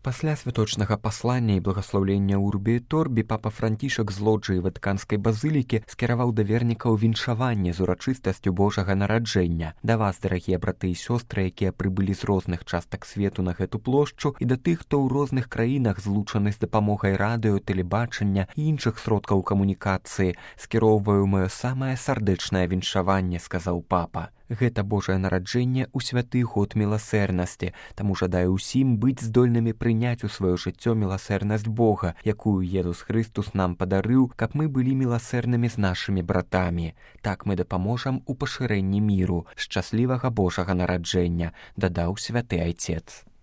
Пасля святочнага паслання і благаслаўлення Урбі і Торбі папа Францішак з лоджыі Ватыканскай базылікі скіраваў да вернікаў віншаванне з урачыстасцю Божага нараджэння. Да вас, дарагія браты і сёстры, якія прыбылі з розных частак свету на гэту плошчу, і да тых, хто ў розных краінах злучаны з дапамогай радыё, тэлебачання і іншых сродкаў камунікацыі, скіроўваю маё самае сардэчнае віншаванне, сказаў папа. Гэта Божае нараджэнне ў святы год міласэрнасці, таму жадаю ўсім быць здольнымі прыняць у сваё жыццё міласэрнасць Бога, якую Езус Хрыстус нам падарыў, каб мы былі міласэрнымі з нашымі братамі. Так мы дапаможам у пашырэнні міру. Шчаслівага Божага нараджэння, дадаў святы айцец.